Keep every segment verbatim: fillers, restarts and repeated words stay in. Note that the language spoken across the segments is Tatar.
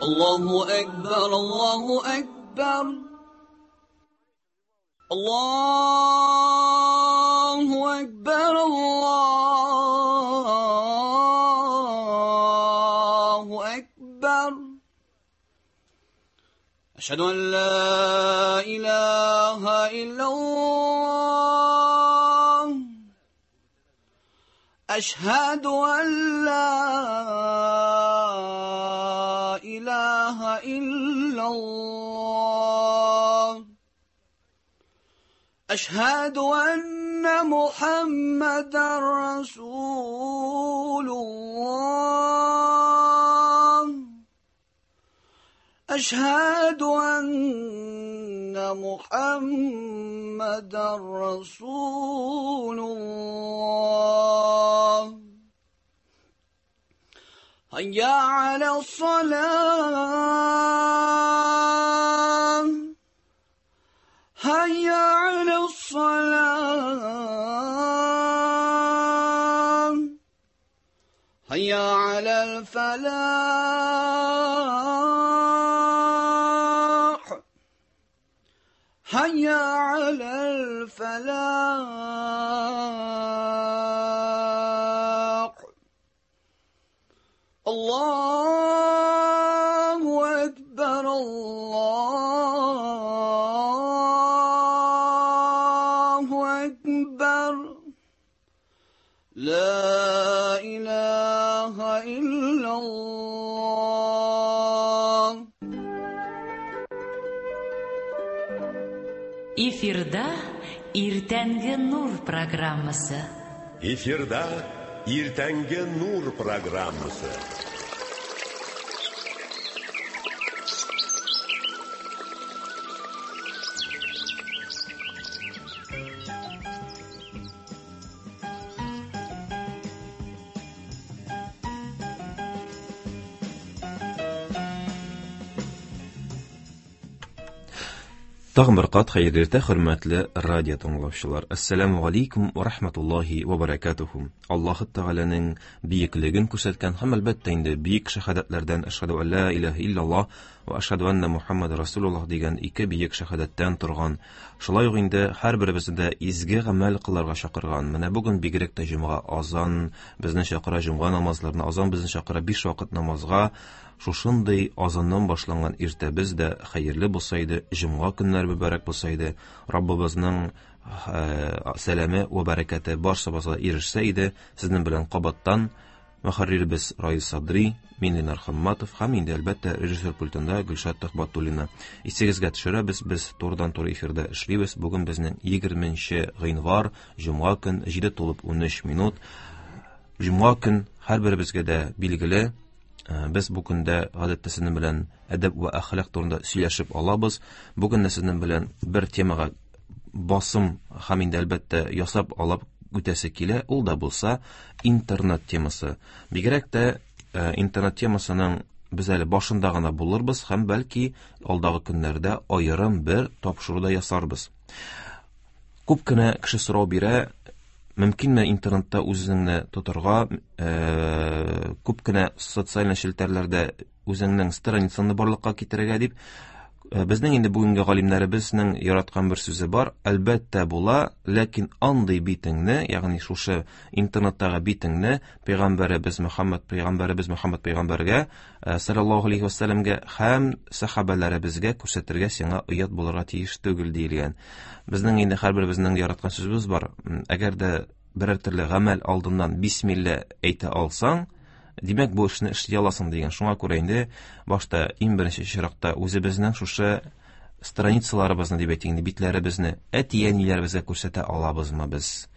Allahu Ekber, Allahu Ekber. Allahu Ekber, Allahu Ekber. Eşhedü en la ilahe illallah. Eşhedü en la ilahe illallah. Eşhedü enne Muhammeden Resulullah. Eşhedü enne Muhammeden Resulullah. Hayya alas-salah. Hayya alas-salah. Hayya alal-falah. Hayya alal-falah. Allahu Ekber, Allahu Ekber. La ilahe illallah. Эфирда Иртәнге Нур программасы. Эфирда Иртәнге Нур программасы. Тагын бер кат хәерле иртә, хөрмәтле радио тыңлаучылар. Ассаламу алейкум ва рахматуллахи ва баракатуху. Аллаһ Тәгаләнең биеклеген күрсәткән һәм әлбәттә инде биек шәһадәтләрдән әшһәду ан ла илаһа иллаллаһ ва әшһәду анна Мухаммад расулуллаһ дигән ике биек шәһадәттән торган. Шулай ук инде һәрберебезне дә изге гамәл кылырга чакырган. Менә бүген бигрәк тә җомга азан безне чакыра, җомга намазларына азан безне чакыра, биш вакыт намазга. Шушындый азаннан башланган иртәбез дә хәерле булса иде, җомга көннәр мөбарәк булса иде, Раббыбызның сәламе ва бәрәкәте барчабызга ирешсә иде. Сезнең белән кабаттан мөхәрриребез Раис Садри, мин Ленар Хамматов һәм инде әлбәттә режиссер пультында Гөлшат Төхбәтуллина. Исегезгә төшерәбез, без турыдан-туры эфирда эшлибез. Бүген безнең егерменче гыйнвар, җомга көн, җиде тулып унөч минут. Җомга көн һәрберебезгә дә билгеле. Без бу көндә гадәттә сезнең белән әдәп ва әхлак турында сөйләшеп алабыз. Бүген дә сезнең белән бер темага басым һәм инде әлбәттә ясап алып үтәсе килә. Ул да булса интернет темасы. Бигрәк тә интернет темасының без әле башында гына булырбыз һәм бәлки алдагы көннәрдә аерым бер тапшыру да ясарбыз. Күп кенә кеше сорау бирә, мөмкинме интернетта үзеңне тотарга, күп кенә социаль челтәрләрдә үзеңнең страницаңны барлыкка китерергә дип. Безнең инде бүгенге галимнәребезнең яраткан бер сүзе бар, әлбәттә була, ләкин андый битеңне, ягъни шушы интернеттагы битеңне пәйгамбәребез Мөхәммәд пәйгамбәребез Мөхәммәд пәйгамбәргә саллаллаһу алейһи вәсәлләмгә һәм сәхабәләребезгә күрсәтергә сиңа оят булырга тиеш түгел диелгән. Безнең инде һәрберебезнең яраткан сүзебез бар. Әгәр дә берәр төрле гамәл алдыннан бисмилла әйтә алсаң, димәк бу эшне эшли аласың дигән. Шуңа күрә инде башта иң беренче чиратта үзебезнең шушы страницаларыбызны дип әйтик инде, битләребезне әти-әниләребезгә күрсәтә алабызмы без?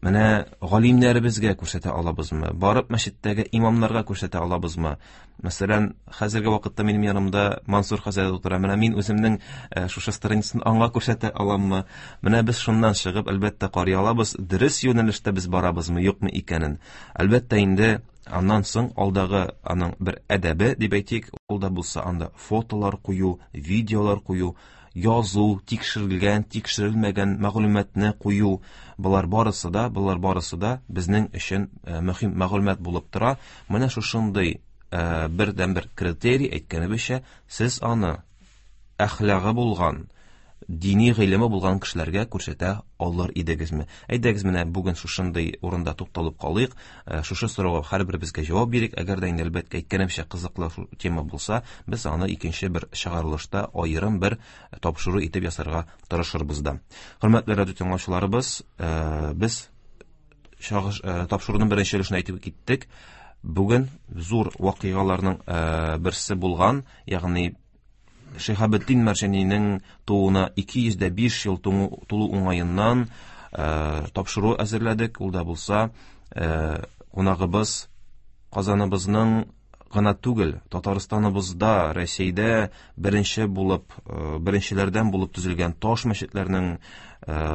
Менә галимнәребезгә күрсәтә алабызмы? Барып мәчеттәге имамнарга күрсәтә алабызмы? Мәсәлән, хәзерге вакытта минем янымда Мансур хәзрәт утыра. Менә мин үземнең шушы страницаны аңа күрсәтә аламмы? Менә без шуннан чыгып, әлбәттә, карый алабыз, дөрес юнәлештә без барабызмы, юкмы икәнен. Әлбәттә инде аннан соң алдагы аның бер әдәбе дип әйтик, ул да булса анда фотолар кую, видеолар кую, язу, тикшерелгән, тикшерелмәгән мәгълүматны кую, болар барысы да, болар барысы да безнең өчен мөһим мәгълүмат булып тора. Менә шушындый бердәнбер критерий әйткәнебезчә, сез аны әхлагы булган, дини гыйлеме булган кешеләргә күрсәтә алыр идегезме? Әйдәгез, менә бүген шушындый урында тукталып калыйк. Шушы сорауга һәрберебезгә җавап бирик. Әгәр дә инде әлбәттә әйткәнемчә кызыклы тема булса, без аны икенче бер чыгарылышта аерым бер тапшыру итеп ясарга тырышырбыз да. Хөрмәтле радио тыңлаучыларыбыз, без тапшыруның беренче өлешен әйтеп киттек. Бүген зур вакыйгаларның берсе булган, ягъни Шиһабетдин Мәрҗанинең тууына ике йөз дә биш ел тулу уңаеннан тапшыру әзерләдек. Ул да булса, кунагыбыз Казаныбызның гына түгел, Татарстаныбызда, Рәсәйдә беренче булып, беренчеләрдән булып төзелгән таш мәчетләрнең,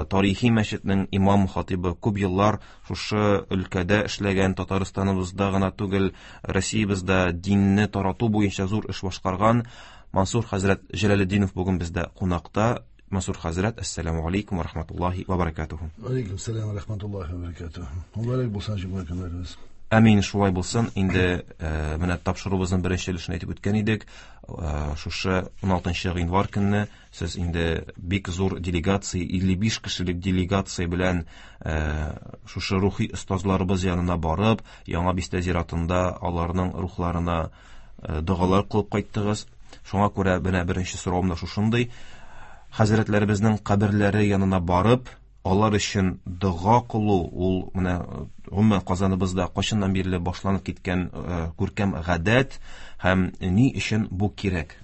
тарихи мәчетнең имам хатибы, күп еллар шушы өлкәдә эшләгән, Татарстаныбызда гына түгел, Россиябездә динне тарату буенча зур эш башкарган Мансур хәзрәт Җәләлетдинов бүген бездә кунакта. Мансур хәзрәт, әссәламу алейкум ва рахматуллаһи ва баракатуху. Алейкум сәлам ва рахматуллаһи ва баракатуху. Мөбарәк булсын җомга көннәребез. Әмин, шулай булсын. Инде менә тапшыруыбызның беренче өлешен әйтеп үткән идек. Шушы ун алтынчы гыйнвар көнне сез инде бик зур делегация, илле биш кешелек делегация белән шушы рухи остазларыбыз янына барып, Яңа Бистә зиратында аларның рухларына догалар кылып кайттыгыз. Шуңа күрә менә беренче соравым да шушындый. Хәзрәтләребезнең каберләре янына барып, алар өчен дога кылу, ул менә гомумән Казаныбызда кайчаннан бирле башланып киткән күркәм гадәт һәм ни өчен бу кирәк?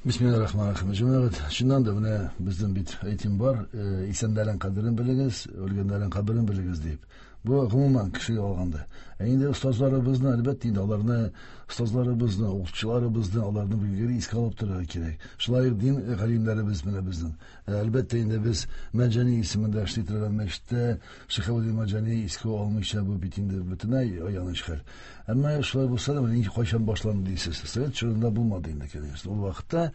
Бисмиллахир-рахманир-рахим. Җәмәгать, чыннан да менә безнең бит әйтем бар, исәннәрнең кадерен белегез, үлгәннәрнең каберен белегез дип. Бу гомумән кешегә алганда. Ә инде остазларыбызны, әлбәттә инде аларны, остазларыбызны, укытучыларыбызны, аларны билгеле искә алып торырга кирәк. Шулай ук дин галимнәребез менә безнең. Әлбәттә инде без Мәрҗани исемендә эшли торган мәчеттә Шиһабетдин Мәрҗани искә алмыйча бу бит инде бөтенләй аяныч хәл. Әмма шулай булса да менә кайчан башланды дисез. Совет чорында булмады инде, конечно. Ул вакытта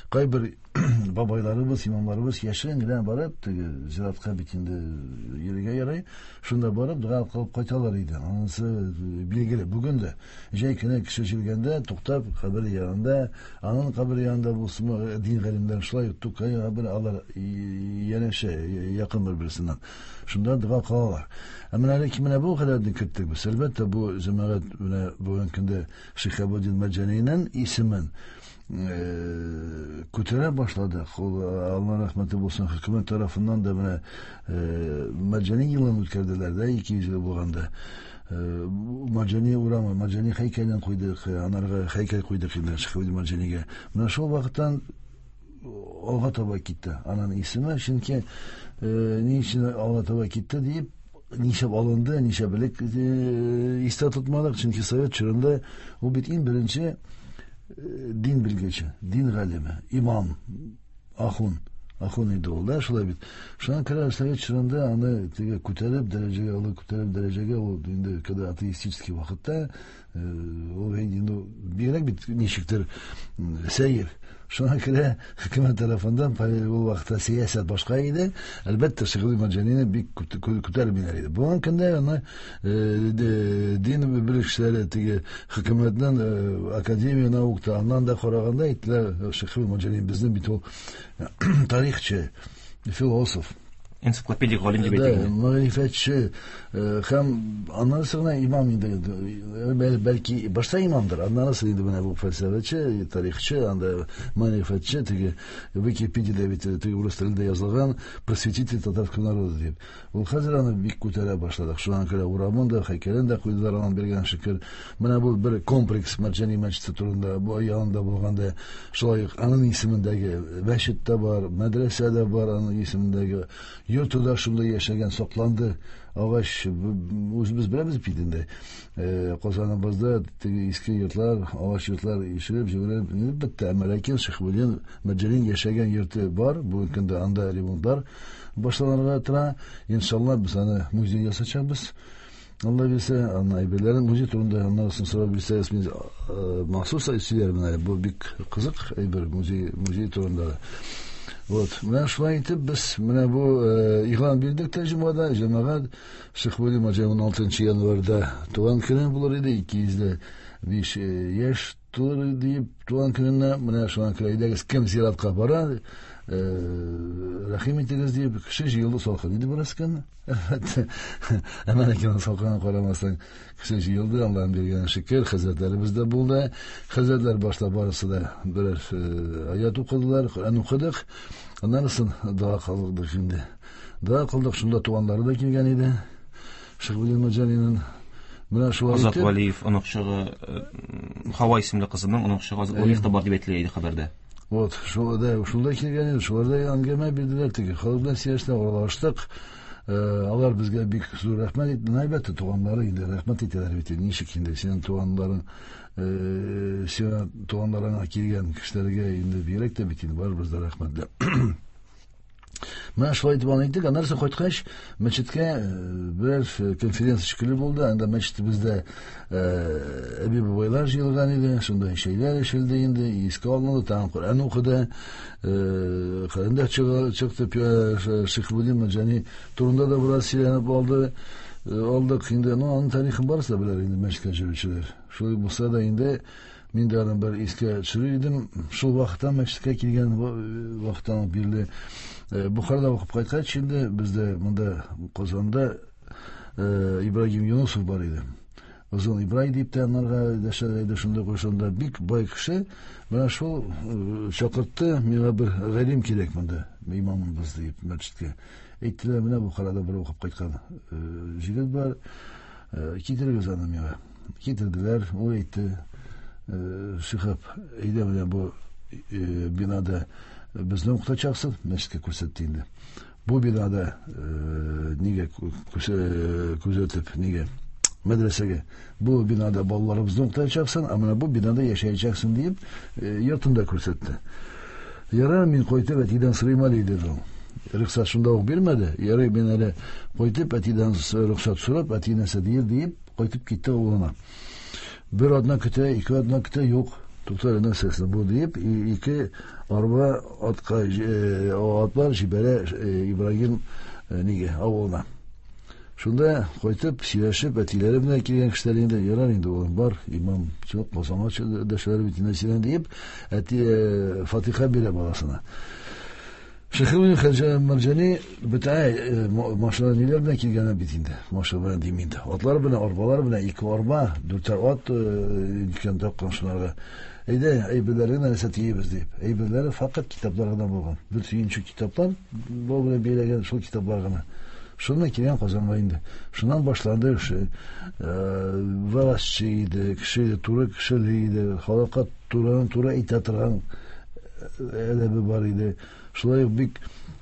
кайбер бабайларыбыз, имамларыбыз яшерен генә барып, теге зиратка бит инде йөрергә ярый, шунда барып дога кылып кайталар иде. Анысы билгеле. Бүген дә җәй көне кеше җилгәндә туктап кабер янында, аның кабер янында булсынмы, дин галимнәре шулай Тукай кабер алар янәшә якын бер-берсеннән. Шунда дога кылалар. Ә менә әле менә бу хәлләрне керттек без. Әлбәттә, бу җәмәгать менә бүгенге көндә Шиһабетдин Мәрҗанинең исемен күтәрә башладык. Ул Алла рәхмәте булсын, хөкүмәт тарафыннан да менә Мәрҗани елын үткәрделәр дә, ике йөз ел булганда. Мәрҗани урамы, Мәрҗани һәйкәлен куйдык, анарга һәйкәл куйдык инде Шиһабетдин Мәрҗанигә. Менә шул вакыттан алга таба китте аның исеме, чөнки ни өчен алга таба китте дип, ничә алынды, ничә белек истә тотмадык, чөнки совет чорында ул бит иң беренче дин белгече, дин галиме, имам, ахун, ахун иде ул да, шулай бит. Шуңа күрә совет чорында аны теге күтәреп дәрәҗәгә, алы күтәреп дәрәҗәгә, ул инде когда атеистический вакытта, ул инде бигрәк бит ничектер сәер. Шуңа күрә хөкүмәт тарафыннан ул вакытта сәясәт башка иде. Әлбәттә, Шиһабетдин Мәрҗанины бик күтәрмиләр иде. Бүгенге көндә аны дин белгечләре теге хөкүмәтнең академия наукта аннан да караганда әйттеләр, Шиһабетдин Мәрҗани безнең бит ул тарихчы, философ, энциклопедик галим дип әйтик. Мәгърифәтче һәм аннан соң имам инде, бәлки башта имамдыр, аннан соң инде менә бу фәлсәфәче, тарихчы, анда мәгърифәтче, теге Википедиядә бит теге урыс телендә язылган просветитель татарского народа дип. Ул хәзер аны бик күтәрә башладык. Шуңа күрә урамын да, һәйкәлен дә куйдылар, аның биргән шөкер. Менә бу бер комплекс Мәрҗани мәчете турында, бу янында булганда шулай ук аның исемендәге мәчет тә бар, мәдрәсә дә бар, аның исемендәге йорты да шунда яшәгән, сакланды. Агач, үзебез беләбез бит инде. Казаныбызда теге иске йортлар, агач йортлар ишелеп, җимерелеп бетте. Әмма ләкин Шиһабетдин Мәрҗани яшәгән йорты бар. Бүгенге көндә анда ремонтлар башланырга тора. Иншалла без аны музей ясачакбыз. Алла бирсә, аны әйберләрен музей турында аннан соң сорап бирсәгез, мин махсус сөйләрмен әле. Бу бик кызык әйбер, музей, музей турында. Вот. Менә шулай итеп без менә бу игълан бирдек тә җомгада, җәмәгать Шиһабетдин Мәрҗани уналтынчы январьда туган көне булыр иде, ике йөз дә биш яшь тулыр дип туган көненә менә шуңа күрә әйдәгез, кем зиратка бара, рәхим итегез дип кеше җыелды, салкын иде бераз көн. Әлбәттә, әмма ләкин салкынга карамастан кеше җыелды, Аллаһның биргән шөкер, хәзрәтләребез дә булды. Хәзрәтләр башта барысы да берәр аят укыдылар, Коръән укыдык. Аннан соң дога кылдык инде. Дога кылдык, шунда туганнары да килгән иде. Шиһабетдин Мәрҗанинең менә шулай Азат итеп Вәлиев оныкчыгы, Һава исемле кызының оныкчыгы Азат Вәлиев та бар дип әйтелә иде хәбәрдә. Вот, шул да, шунда килгән иде, шуларда әңгәмә бирделәр, теге халык белән сөйләштек, аралаштык. Алар безгә бик зур рәхмәт итте. Әлбәттә, туганнары инде рәхмәт итәләр бит. Ничек инде синең туганнарың, сиңа туганнарыңа килгән кешеләргә инде бигрәк тә бит инде барыбыз да рәхмәтле. Менә шулай итеп аны әйттек. Аннан соң кайткач, мәчеткә берәр конференция шикелле булды. Анда мәчетебездә әби бабайлар җыелган иде. Шунда чәйләр эчелде инде, искә алынды, тагын Коръән укыды. Коръән дә чыкты. Шиһабетдин Мәрҗани турында да бераз сөйләнеп алды. Алдык инде. Ну, аның тарихын барысы да белер инде мәчеткә йөрүчеләр. Шулай булса да инде мин дә аны бер искә төшерер идем. Шул вакыттан мәчеткә килгән вакыттан бирле Бухарада укып кайткач инде бездә монда Казанда Ибрагим Юнусов бар иде. Озын Ибрай дип тә анарга дәшәләр иде, шунда кушында бик бай кеше. Менә шул чакыртты, миңа бер галим кирәк монда, имамыбыз дип мәчеткә. Әйттеләр, менә Бухарада бер укып кайткан җегет бар, китерегез аны миңа. Китерделәр, ул әйтте, Шиһаб, әйдә менә бу бинада безне укытачаксың, мәчеткә күрсәтте инде. Бу бинада нигә күзәтеп, нигә мәдрәсәгә, бу бинада балаларыбызны укытачаксың, ә менә бу бинада яшәячәксең дип йортын да күрсәтте. Ярар, мин кайтып әтидән сорыйм әле, диде ул. Рөхсәт шунда ук бирмәде. Ярый, мин әле кайтып әтидән рөхсәт сорап, әти нәрсә дияр дип кайтып китте авылына. Бер атна көтә, ике атна көтә, юк. Туктар, нәрсәсе бу дип, ике арба атка атлар җибәрә Ибрагим нигә авылына. Шунда кайтып сөйләшеп, әтиләре белән килгән кешеләр инде, ярар инде улым, бар, имам чыгып Казанга дәшәләр бит инде синең дип, әти фатиха бирә баласына. Шиһабетдин Мәрҗани бөтә машина ниләр белән килгән бит инде. Машина белән дим инде. Атлар белән, арбалар белән, ике арба, дүртәр ат икән тапкан шуларга. Әйдә, әйберләрен нәрсә тиебез дип. Әйберләре факат китаплар гына булган. Бер сөенче китаплар, бу белән бәйләгән шул китаплар гына. Шуннан килгән Казанга инде. Шуннан башланды эше. Вәгазьче иде, кеше туры кешеле иде, халыкка турыдан туры әйтә торган әдәбе бар иде. Шулай ук бик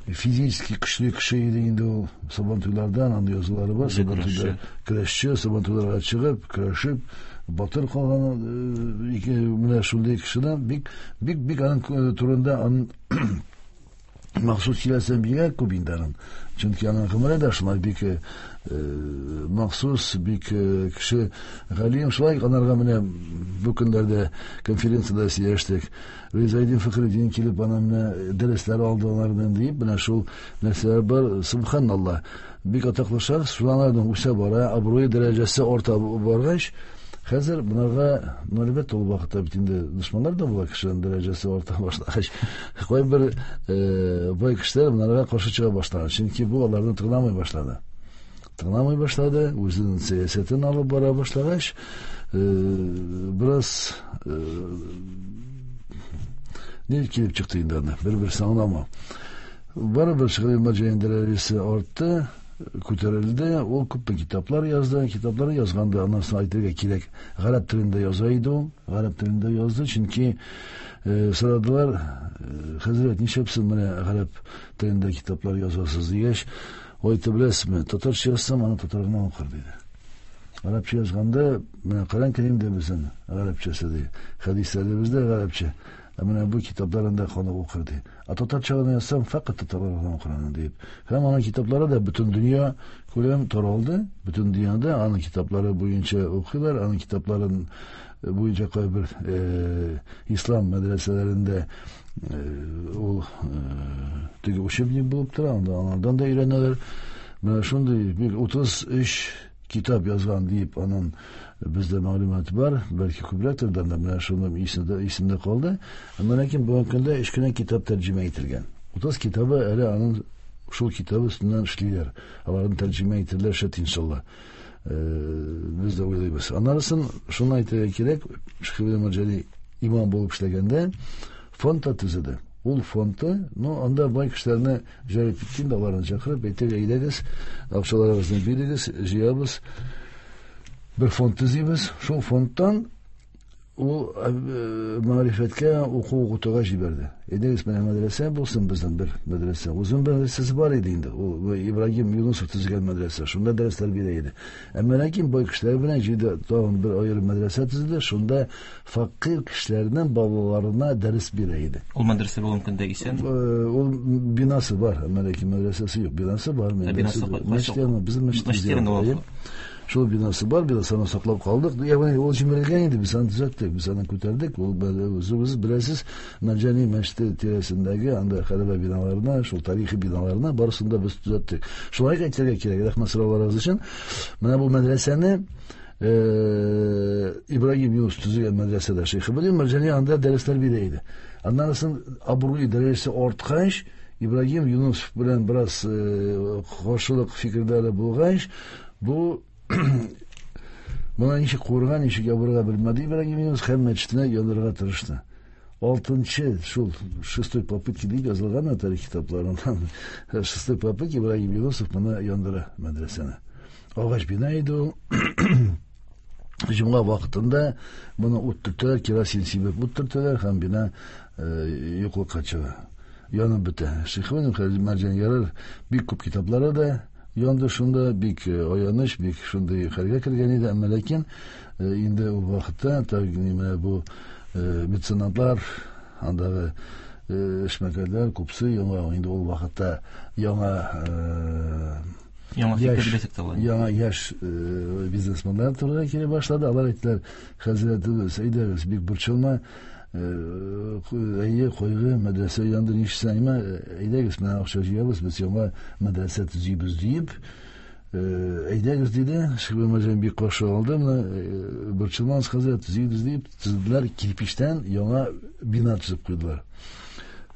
физически көчле кеше иде инде ул. Сабантуйлардан андый язулары бар. Сабантуйлар көрәшче, сабантуйларга чыгып, көрәшеп, батыр калган ике менә шундый кешедән бик бик бик аның турында аның махсус сөйләсәм бигрәк күп инде аның. Чөнки аның гомере дә шулай бик махсус, бик кеше галим. Шулай анарга менә бу көннәрдә конференциядә сөйләштек. Ризаэддин Фәхретдин килеп ана менә дәресләр алды алардан дип, менә шул нәрсәләр бар. Субханаллаһ, бик атаклы шәхес, шулардан үсә бара, абруе дәрәҗәсе арта баргач, хәзер bunlarга, ну, әлбәттә, ул вакытта бит инде дошманнар да була, кешенең дәрәҗәсе арта башлагач, кайбер бай кешеләр bunlarга каршы чыга башлады. Чөнки бу аларны тыңламый башлады. Тыңламый башлады, үзенең сәясәтен алып бара башлагач, бераз ни килеп чыкты инде анда, бер-берсен аңламау. Барыбер Шиһабетдин Мәрҗани дәрәҗәсе артты, күтәрелде, ул күп китаплар язды. Китаплар язганда аннан соң әйтергә кирәк, гарәп телендә яза иде ул, гарәп телендә язды, чөнки сорадылар, хәзрәт, нишләп сез менә гарәп телендә китаплар язасыз дигәч, ул әйтте, беләсезме, татарча язсам, аны татар гына укыр диде. Гарәпчә язганда, менә Коръән Кәрим дә безнең гарәпчәсе ди, хәдисләребез дә гарәпчә. Ә менә бу китапларында халык укыр ди. Ә татарча гына язсам, фәкать татарлар гына укыр аны дип. Һәм аның китаплары да бөтен дөнья күләм таралды. Бөтен дөньяда аның китаплары буенча укыйлар, аның китапларын буенча кайбер ислам мәдрәсәләрендә ул теге учебник булып тора, анда анардан да өйрәнәләр. Менә шундый бик утыз өч китап язган дип аның бездә мәгълүмат бар, бәлки күбрәктер дә, менә шуны исемдә исемдә калды. Әмма ләкин бүгенге көндә өч кенә китап тәрҗемә ителгән. Утыз китабы әле аның шул китабы өстеннән эшлиләр. Аларны тәрҗемә ителәр шәт иншалла. Без дә уйлыйбыз. Аннан шуны әйтергә кирәк, Шиһабетдин Мәрҗани имам булып эшләгәндә фонд та төзеде. Ул фондты, ну, анда бай кешеләрне җәлеп иткән дә, аларны чакырып, әйтергә әйдәгез, акчаларыгызны бирегез, җыябыз, бер фонд төзибез. Шул фондтан ул мәгърифәткә, уку укытуга җибәрде. Әйдәгез, менә мәдрәсә булсын безнең бер мәдрәсә. Үзенең мәдрәсәсе бар иде инде. Ул Ибраһим Юнусов төзегән мәдрәсә. Шунда дәресләр бирә иде. Әмма ләкин бай кешеләр белән җыйды, тагын бер аерым мәдрәсә төзеде. Шунда фәкыйрь кешеләрнең балаларына дәрес бирә иде. Ул мәдрәсә бүгенге көндә исән? Ул бинасы бар, әмма ләкин мәдрәсәсе юк. Бинасы бар. Мәчет янында, безнең мәчет янында. Шул бинасы бар, бинасını саклап калдык. Ягъни ул җимерелгән иде, без аны төзәттек, без аны күтәрдек. Ул үзебез беләсез, Мәрҗани мәчете тирәсендәге анда хәрабә биналарына, шул тарихи биналарына барысын да без төзәттек. Шулай әйтергә кирәк, рәхмәт сорауларыгыз өчен. Менә бу мәдрәсәне Ибраһим Юнус төзегән мәдрәсәдә Шиһабетдин Мәрҗани анда дәресләр бирә иде. Аннан соң абруй дәрәҗәсе арткач, Ибраһим Юнус белән бераз каршылык фикерләре булгач, бу Моны ничек куырга, ничек ябырга белмәде Ибраһим Юнус һәм мәчетенә яндырырга тырышты. Алтынчы, шул шестой попытки дип язылган тарих китапларында. Шестой попытки Ибраһим Юнусов моны яндыра мәдрәсәне. Агач бина иде ул. Җомга вакытында моны ут төртәләр, керосин сибеп ут төртәләр һәм бина юклыкка чыга. Янып бетә. Шиһабетдин Мәрҗани ярар бик күп китаплары да янды шунда, бик аяныч, бик шундый хәлгә кергән иде. Әмма ләкин инде ул вакытта менә бу меценатлар, андагы эшмәкәрләр күпсе яңа инде ул вакытта яңа яңа фикер дисәк тә була. Яңа яшь бизнесменнар турга килә башлады. Алар әйттеләр: "Хәзрәтебез, әйдәгез, бик борчылма, әйе, кайгы, мәдрәсә янды, нишләсәң, әйдәгез, менә акча җыябыз, без яңа мәдрәсә төзибез" диеп, әйдәгез диде. Шиһабетдин Мәрҗани бик каршы алды. Менә борчылмагыз, хәзрәт, төзибез дип төзеделәр, кирпичтән яңа бина төзеп куйдылар.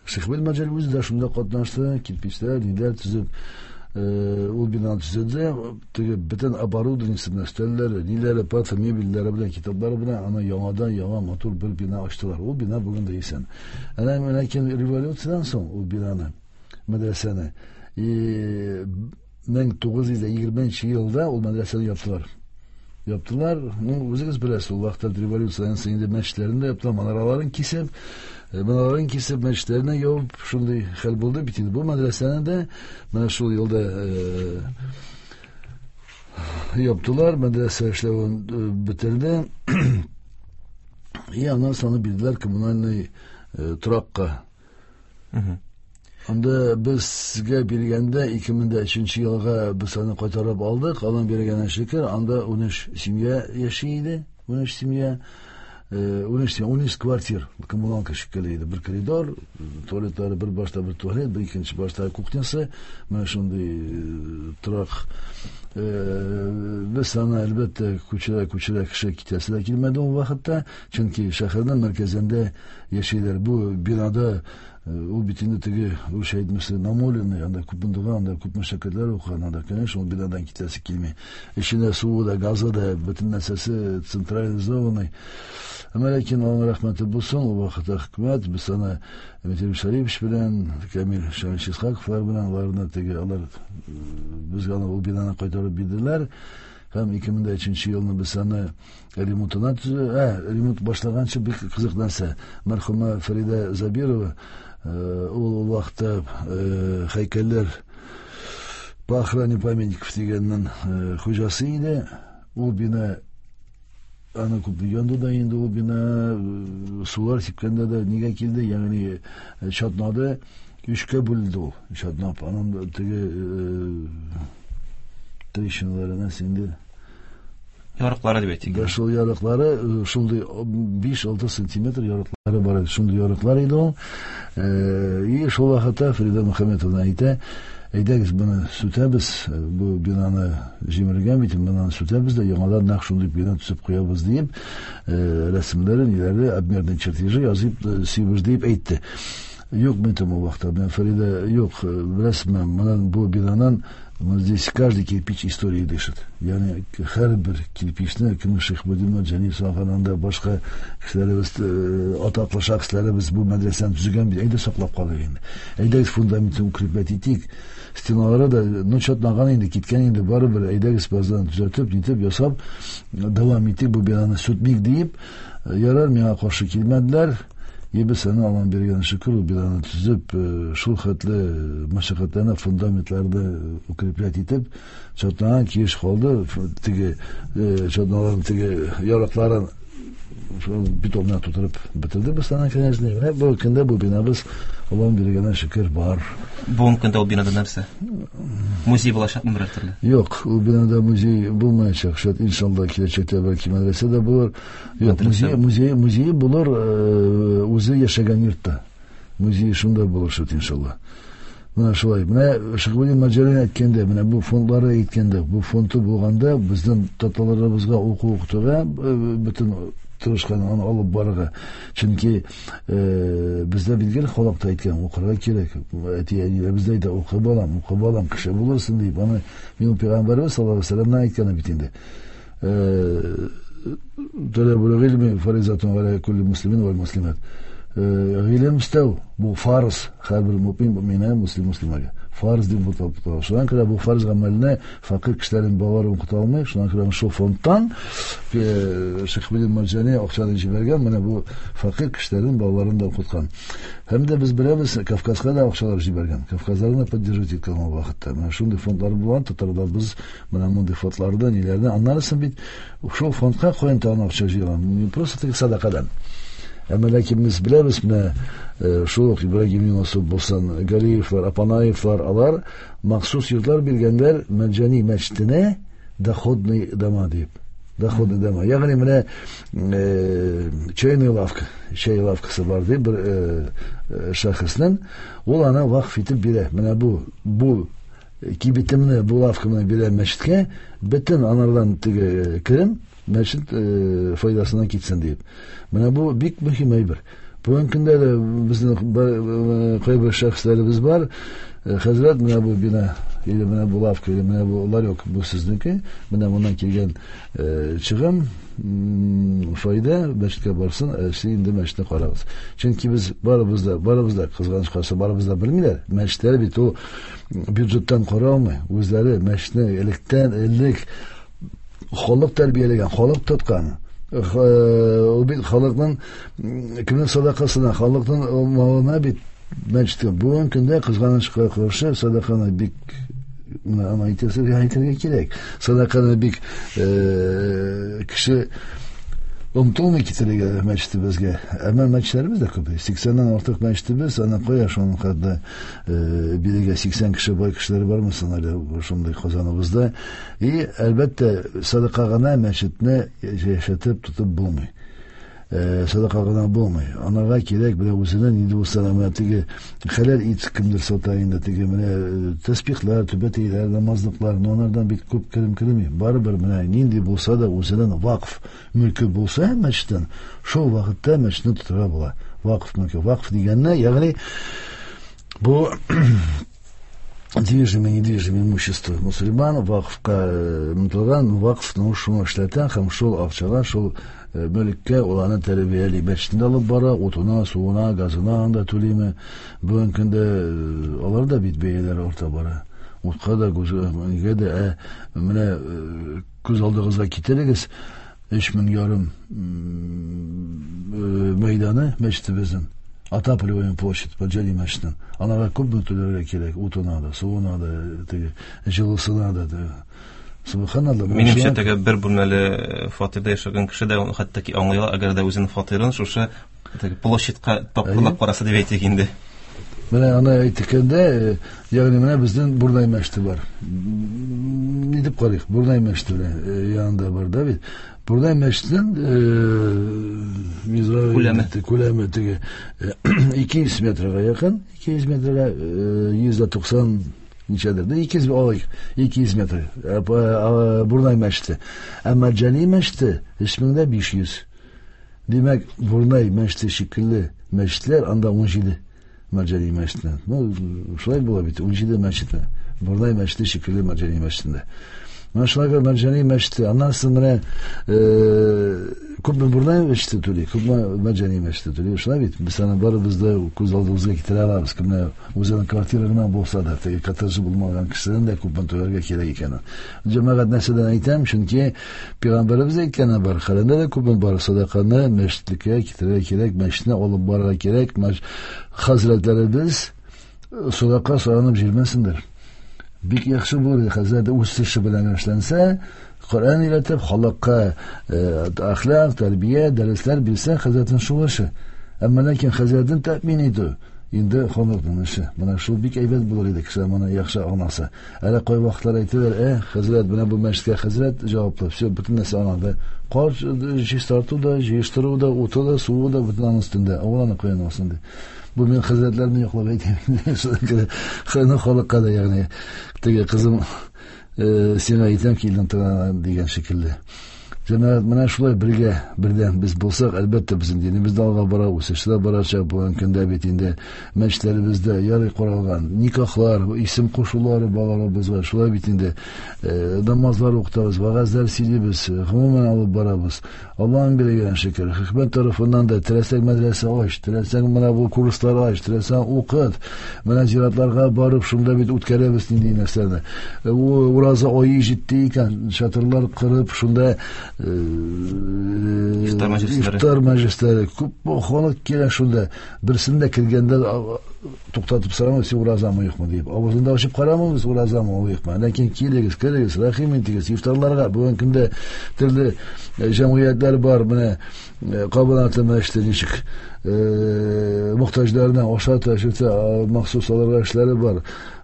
Шиһабетдин Мәрҗани үзе дә шунда катнашты, кирпичләр, ниләр төзеп, ул бинаны төзеде. Теге бөтен оборудованиесе белән, өстәлләре, ниләре, парта, мебельләре белән, китаплары белән аны яңадан яңа матур бер бина ачтылар. Ул бина бүген дә исән. Әнә ләкин революциядән соң ул бинаны, мәдрәсәне мең тугыз йөз егерменче елда ул мәдрәсәне яптылар. Яптылар. Ну, үзегез беләсез, ул вакытта революциядән соң инде мәчетләрен дә яптылар, манараларын кисеп, манараларын кисеп, мәчетләрне ябып, шундый хәл булды бит инде. Бу мәдрәсәне дә менә шул елда яптылар, мәдрәсә эшләвен бетерде. И аннан соң бирделәр коммунальный торакка. Анда безгә биргәндә ике мең дә өченче елга без аны кайтарып алдык. Аның биргәненә шөкер, анда ун өч семья яши иде. ун өч семья, ун өч, ун өч квартир, коммуналка шикелле иде. Бер коридор, туалетлары бер башта бер туалет, бер икенче башта кухнясы. Менә шундый торак. Без аны әлбәттә күчерә күчерә кеше китәсе дә килмәде ул вакытта, чөнки шәһәрнең мәркәзендә яшиләр. Бу бинада ул бит инде теге русча әйтмесе намоленный, анда күп бундыган, анда күп мәшәкатьләр укыган, анда, конечно, ул бинадан китәсе килми. Эченә суы да, газы да, бөтен нәрсәсе централизованный. Әмма ләкин Аллаһның рәхмәте булсын, ул вакытта хөкүмәт без аны Дмитрий Шарипович белән, Камил Шамилович Исхаковлар белән, аларны теге алар безгә аны ул бинаны кайтарып бирделәр. Һәм ике мең дә өченче елны без аны ремонтына төзү, ә, ремонт башлаганчы бик кызык нәрсә. Мәрхүмә Фәридә Забирова, ул ул вакытта һәйкәлләр по охране памятников дигәннең хуҗасы иде. Ул бина аны күп янды да инде, ул бина сулар сипкәндә дә нигә килде, ягъни чатнады, өчкә бүленде ул. Чатнап, аның теге трещиналары нәрсә инде Ярыклары дип әйтик. Да, шул ярыклары шундый биш-алты сантиметр ярыклары бар иде. Шундый ярыклар иде ул. И шул вакытта Фрида Мөхәммәтовна әйтә, әйдәгез моны сүтәбез, бу бинаны җимергән бит, бинаны сүтәбез дә яңадан нәкъ шундый бина төзеп куябыз дип, рәсемнәрен, ниләрне, обмерный чертежи язып сөйбез дип әйтте. Юк, мин там ул вакытта, менә Фрида, юк, беләсезме, моны бу бинанан здесь каждый кирпич истории дышит. Ягъни һәр бер кирпичне кем Шихбудин Марҗани салганында башка кешеләребез, атаклы шәхесләребез бу мәдрәсәне төзегән бит, әйдә саклап калыйк инде. Әйдәгез фундаментын укреплять итик. Стеналары да, ну, чатнаган инде, киткән инде, барыбер әйдәгез баздан төзәтеп, нитеп, ясап, дәвам итик, бу бинаны сүтмик диеп, ярар, миңа каршы килмәделәр. Без аны Аллаһ биргән шөкер, ул бинаны төзеп, шул хәтле мәшәкатьләрне, фундаментларны укреплять итеп, чатнаган килеш калды, теге чатналарын, теге ярыкларын бетон белән тутырып бетерде без аны, конечно. Менә бу көндә бу бинабыз Аллаһ биргән шөкер бар. Бүгенге көндә ул бинада нәрсә? Музей булачакмы берәр төрле? Юк, ул бинада музей булмаячак. Шәт, иншалла, киләчәктә бәлки мәдрәсә дә булыр. Юк, музей, музей, музей булыр, үзе яшәгән йортта. Музей шунда булыр, шәт, иншалла. Менә шулай. Менә Шихбудин Марҗани әйткәндә, менә бу фондлары әйткәндә, бу фонды булганда безнең татарларыбызга уку укытуга бөтен тырышкан аны алып барырга. Чөнки бездә билгеле халык та әйткән, укырга кирәк. Әти-әниләребез дә әйтә, укы балам, укы балам, кеше булырсың дип. Аны минем пәйгамбәребез саллаллаһу алейһи ва сәлләмнән әйткәне бит инде. Талабул гыйльми фаризатун аля кулли муслимин вал муслимат. Гыйлем эстәү бу фарз һәр бер мөмин, мөминә, муслим, муслимага. Фарз дип атап тора. Шуңа күрә бу фарз гамәлне фәкыйрь кешеләрнең балалары укыта алмый. Шуңа күрә шул фондтан Шихбудин Марҗани акчаны җибәргән, менә бу фәкыйрь кешеләрнең балаларын да укыткан. Һәм дә без беләбез, Кавказга да акчалар җибәргән. Кавказларны поддерживать иткән ул вакытта. Менә шундый фондлар булган, татарлар без менә мондый фондларда, ниләрдә, аннарысын бит шул фондка куен тагын акча җыйган. Не просто теге садакадан. Әмма ләкин без беләбез, менә шул ук Ибрагим Юнусов булсын, Галиевлар, Апанаевлар, алар махсус йортлар биргәннәр Марҗани мәчетенә доходный дома дип. Доходный дома. Ягъни менә чайная лавка, чай лавкасы бар дип бер шәхеснең, ул аны вакыф итеп бирә. Менә бу, бу кибетемне, бу лавкамны бирә мәчеткә, бөтен анардан теге керем мәчет файдасына китсен дип. Менә бу бик мөһим әйбер. Бүгенге көндә дә безнең кайбер шәхесләребез бар. Хәзрәт, менә бу бина, или менә бу лавка, или менә бу ларек, бу сезнеке. Менә моннан килгән чыгым, файда мәчеткә барсын, сез инде мәчетне карагыз. Чөнки без барыбыз да, барыбыз да, кызганыч каршы, барыбыз да белмиләр. Мәчетләр бит ул бюджеттан кара алмый. Үзләре мәчетне электән элек халык тәрбияләгән, халык тоткан. Ул бит халыкның кемнең садакасына, халыкның малына бит мәчеткә. Бүгенге көндә кызганычка каршы садаканы бик, менә аны әйтәсе, әйтергә кирәк. Садаканы бик кеше омтылмый китерергә мәчетебезгә. Әмма мәчетләребез дә күп. Сиксәннән артык мәчетебез, аны кая шуның кадәр бирегә сиксән кеше бай кешеләр бармы соң әле шундый Казаныбызда. И әлбәттә садака гына мәчетне яшәтеп тотып булмый. Садака гына булмый. Анарга кирәк менә үзенә нинди булса да менә теге хәләл ит кемдер сата инде, теге менә тәсбихләр, түбәтәйләр, намазлыклар, но анардан бик күп керем керми. Барыбер менә нинди булса да үзенең вакыф мөлке булса мәчеттән, шул вакытта мәчетне тотырга була. Вакыф мөлке. Вакыф дигәнне, ягъни бу движимое, недвижимое имущество мусульман, вакыфка мөтелгән, вакыф, ну, шуны эшләтә һәм шул акчага, шул мөлккә ул аны тәрбияли. Мәчетендә алып бара, утына, суына, газына анда түлиме. Бүгенге көндә алар да бит бәяләр арта бара. Утка да, нигә дә, ә, менә күз алдыгызга китерегез, өч мең ярым мәйданы мәчетебезнең, отапливаемая площадь, Марҗани мәчетенең. Аларга күпме түләргә кирәк, утына да, суына да, теге җылысына да, теге. Субханалла. Минемчә, теге бер бүлмәле фатирда яшәгән кеше дә хәтта ки аңлый ала, әгәр дә үзенең фатирын шушы теге площадька тапкырлап караса дип әйтик инде. Менә аны әйткәндә, ягъни менә безнең Бурнай мәчете бар. Ни дип карыйк? Бурнай мәчете белән янында бар да бит. Бурнай мәчетенең күләме күләме теге ике йөз метрга якын, ике йөз метрга йөз дә туксан ничәдер, да ике йөз алыйк, ике йөз метр. Бурнай мәчете. Ә Мәрҗани мәчете өч мең дә биш йөз. Димәк, Бурнай мәчете шикелле мәчетләр анда ун җиде Мәрҗани мәчетеннән. Ну, шулай була бит, ун җиде мәчет. Бурнай мәчете шикелле Мәрҗани мәчетендә. Менә шулай Мәрҗани мәчете, аннан соң менә күпме Бурнай мәчете түли, күпме Мәрҗани мәчете түли. Шулай бит, без аны барыбыз да күз алдыбызга китерә алабыз. Кемне үзенең квартира гына булса да, теге коттеджы булмаган кешеләрнең дә күпме түләргә кирәк икәнен. Җәмәгать нәрсәдән әйтәм, чөнки пәйгамбәребез әйткәне бар, Коръәндә дә күпме бар, садаканы мәчеткә китерергә кирәк, мәчетне алып барырга кирәк. Хәзрәтләребез садака соранып җирмәсендер. Бик яхшы булыр, хәзрәт үз эше белән эшләнсә, Коръән өйрәтеп, халыкка әхлак, тәрбия, дәресләр бирсә, хәзрәтнең шул эше. Әмма ләкин хәзрәтне тәэмин итү инде халыкның эше. Менә шул бик әйбәт булыр иде, кеше моны яхшы аңласа. Әле кай вакытлар әйтәләр, э, хәзрәт, менә бу мәчеткә хәзрәт җаваплы, все, бөтен нәрсә аңлады. Кар чистарту да, җыештыру да, уты да, суы да бөтен аның өстендә. Ул аны каян алсын ди. Бу мин хәзрәтләрне яклап әйтәм. Хәзрәт халыкка да, ягъни теге кызым сиңа әйтәм, килдең тора дигән шикелле. Җәмәгать, менә шулай бергә, бердәм без булсак, әлбәттә, безнең динебез дә алга бара, үсеш дә барачак. Бүгенге көндә бит инде мәчетләребездә ярый каралган никахлар, исем кушулары балаларыбызга, шулай бит инде намазлар укытабыз, вәгазьләр сөйлибез, гомумән алып барабыз. Аллаһның биргән шөкер, хөкүмәт тарафыннан да теләсәң мәдрәсә ач, теләсәң менә бу курслар ач, теләсәң укыт. Менә зиратларга барып шунда бит үткәрәбез нинди нәрсәне. Ураза ае җитте икән, чатырлар кырып шунда ифтар мәҗлесләре, ифтар мәҗлесләре, күп халык килә шунда. Берсендә килгәндә туктатып сорамый, син уразамы юкмы дип. Авызында ачып карамыйбыз, уразамы юкмы. Ләкин килегез, керегез, рәхим итегез ифтарларга. Бүгенге көндә төрле җәмгыятьләр бар, менә Кабанаты мәчете ничек мохтаҗларына ашата, эчертә, махсус аларга эшләре бар.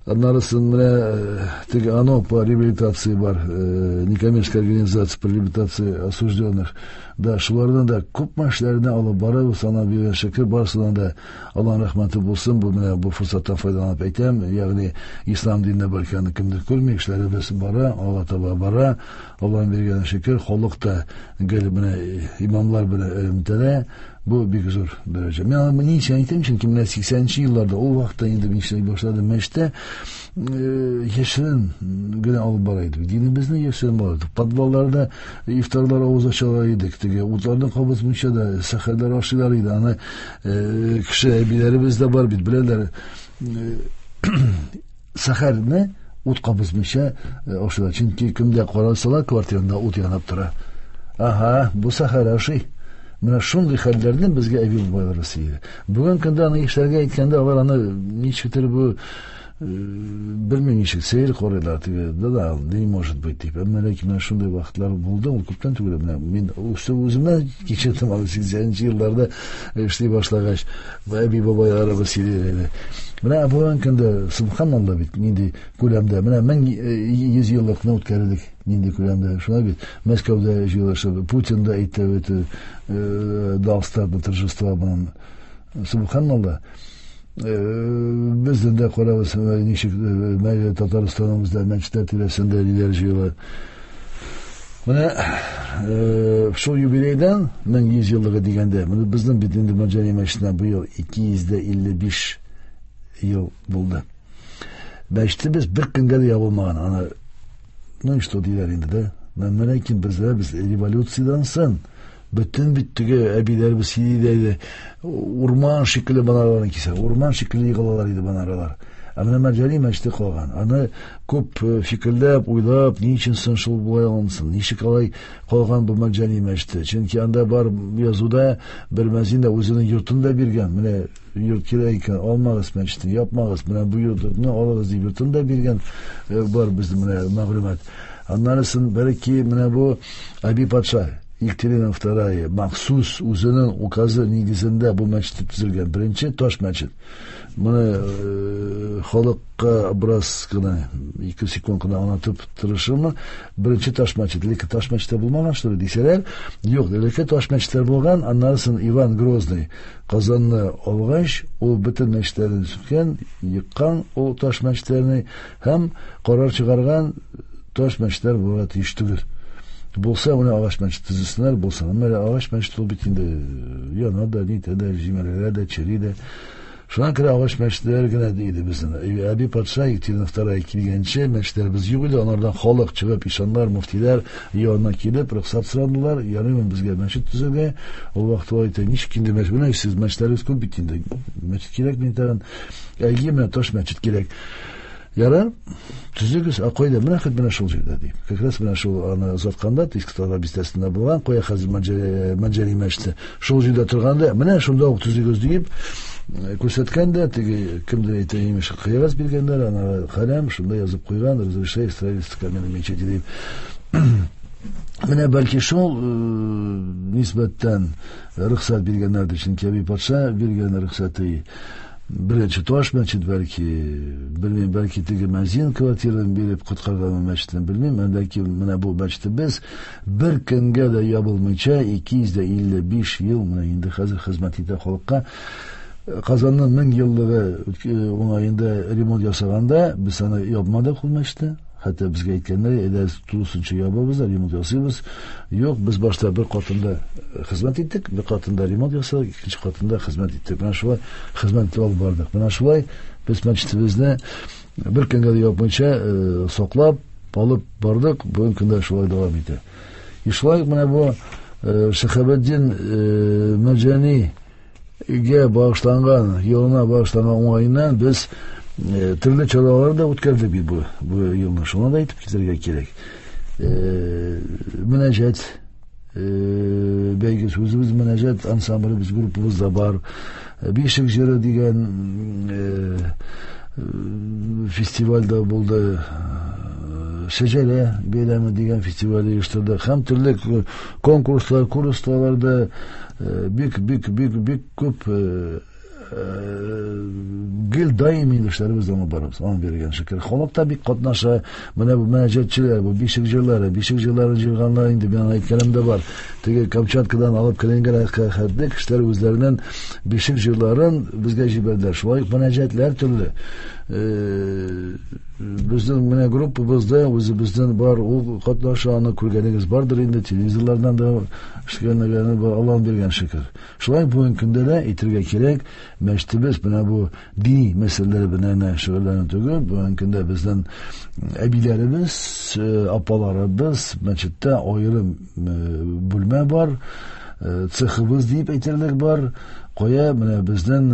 Аннарысын менә теге АНО по реабилитации бар, некоммерческая организация по реабилитации осужденных. Да, шулардан да күп эшләрне алып барабыз, ана биргән шөкер, барысынан да Аллаһның рәхмәте булсын. Бу менә бу форсаттан файдаланып әйтәм, ягъни ислам диненә бәркәнне кемдер күрми, эшләребез бара, Алла таба бара. Аллаһның биргән шөкер, халык та гел менә имамлар белән элемтәдә. Бу бик зур дәрәҗә. Мин аны ни өчен әйтәм, чөнки менә сиксәненче елларда, ул вакытта инде мин эшли башладым мәчеттә, яшерен генә алып бара идек. Динебезне яшерен бара идек. Подвалларда ифтарлар авыз ачалар идек. Теге утларны кабызмыйча да сәхәрләр ашыйлар иде. Аны кеше әбиләребез дә бар бит, беләләр. Сәхәрне ут кабызмыйча ашыйлар. Чөнки кемдә карасалар, квартирында ут янып тора. Ага, бу сәхәр ашый. Менә шундый хәлләрне безгә әби бабайлар сөйли. Бүген көндә аны яшьләргә әйткәндә, алар аны ничектер бу белмим ничек сәер карыйлар, теге, да да, не может быть дип. Әмма ләкин менә шундый вакытлар булды, ул күптән түгел. Менә мин үземнән кичердем, аны сиксәненче елларда эшли башлагач, әби бабайларыбыз сөйли иде. Менә бүген көндә субханалла бит нинди күләмдә, менә мең йөз еллыкны үткәрдек нинди күләмдә. Шулай бит, Мәскәүдә җыелышып, Путин да әйтте бит, дал старт на торжества белән. Субханалла. Бездән дә карабыз, ничек Татарстаныбызда мәчетләр тирәсендә ниләр җыела. Менә шул юбилейдан мең йөз еллыгы дигәндә, менә безнең бит инде Мәрҗани мәчетенә быел ике йөз дә илле биш ел булды. Мәчетебез бер көнгә дә ябылмаган. Аны, ну что диләр инде дә. Менә ләкин бездә без революциядән соң бөтен бит теге әбиләребез сөйли иде. Урман шикелле манараларны кисә, урман шикелле егылалар иде манаралар. Ә менә Мәрҗани мәчете калган. Аны күп фикерләп, уйлап, ни өчен соң шул болай алынсын, ничек алай калган бу Мәрҗани мәчете? Чөнки анда бар язуда бер мәзин дә үзенең йортын да биргән. Менә йорт кирәк икән, алмагыз мәчетне, япмагыз, менә бу йортны алыгыз дип йортын да биргән бар безнең менә мәгълүмат. Аннан соң бәлки менә бу Әби патша Екатерина Вторая махсус үзенең указы нигезендә бу мәчет төзелгән беренче таш мәчет. Моны халыкка бераз гына ике секунд кына аңлатып тырышырмын. Беренче таш мәчет, элекке таш мәчеттә булмаган, что ли дисәләр, юк, элекке таш мәчетләр булган. Аннан соң Иван Грозный Казанны алгач, ул бөтен мәчетләрне сүткән, еккан ул таш мәчетләрне һәм карар чыгарган: таш мәчетләр булырга тиеш түгел. Булса, менә агач мәчет төзесеннәр, булса, әмма агач мәчет ул бит инде яна да, нитә дә, җимерелә дә, чери дә. Шуңа күрә агач мәчетләр генә иде безнең. Әби патша Екатерина Вторая килгәнче мәчетләребез юк иде. Анардан халык чыгып, ишаннар, мөфтиләр янына килеп, рөхсәт сорадылар. Ярыймы безгә мәчет төзергә? Ул вакытта алар әйтә: ничек инде мәчет? Менә сез мәчетләрегез күп бит инде. Мәчет кирәкми тагын. Әйе, менә таш мәчет кирәк. Ярар, төзегез, а кайда? Менә хет менә шул җирдә ди. Как раз менә шул аны озатканда, Иске Татар бистәсендә булган, кая хәзер Мәнҗәри мәчете. Шул җирдә торганда, менә шунда ук төзегез дип күрсәткән дә, теге кемдер әйтә, имеш, кыягаз биргәннәр, ана каләм шунда язып куйган: «Разрешаю строительство каменной мечети» дип. Менә бәлки шул нисбәттән рөхсәт биргәннәрдер, чөнки әби патша биргән рөхсәте беренче таш мәчет, бәлки, белмим, бәлки теге мәзин квартираны биреп коткарган мәчетне, белмим, ләкин менә бу мәчетебез бер көнгә дә ябылмыйча ике йөз илле биш ел менә инде хәзер хезмәт итә халыкка. Казанның мең еллыгы уңаенда ремонт ясаганда без аны ябмадык ул мәчетне. Хәтта безгә әйткәннәр, әйдә тулысынча ябабыз да ремонт ясыйбыз. Юк, без башта бер катында хезмәт иттек, бер катында ремонт ясадык, икенче катында хезмәт иттек. Менә шулай хезмәт алып бардык. Менә шулай без мәчетебезне бер көнгә дә япмыйча саклап алып бардык. Бүгенге көндә шулай дәвам итә. И шулай менә бу Шиһабетдин Мәрҗанигә багышланган, елына багышланган уңаеннан без төрле чаралар да үткәрдек бит бу, бу елны. Шуны да әйтеп китәргә кирәк. Мөнәҗәт бәйгесе, үзебез мөнәҗәт ансамблебез, группабыз да бар. Бишек җыры дигән фестиваль дә булды. Шәҗәрә бәйрәме дигән фестиваль оештырдык. Һәм төрле конкурслар, курслар да бик, бик, бик, бик күп гел даими эшләребез алып барабыз. Аның биргән шөкер. Халык та бик катнаша. Менә бу мөнәҗәтчеләр, бу бишек җырлары, бишек җырларын җырганнар инде мин әйткәнем дә бар. Теге Камчаткадан алып Калининградка хәтле кешеләр үзләренең бишек җырларын безгә җибәрделәр. Шулай ук мөнәҗәтләр төрле. Безнең менә группабызда үзебезнең бар, ул катнаша, аны күргәнегез бардыр инде, телевизорлардан да эшләгәннәре бар, Аллаһ биргән шөкер. Шулай бүгенге көндә дә әйтергә кирәк, мәчетебез менә бу дини мәсьәләләр белән генә шөгыльләнү түгел, бүгенге көндә безнең әбиләребез, апаларыбыз мәчеттә аерым бүлмә бар, цехыбыз дип әйтерлек бар. Кая менә безнең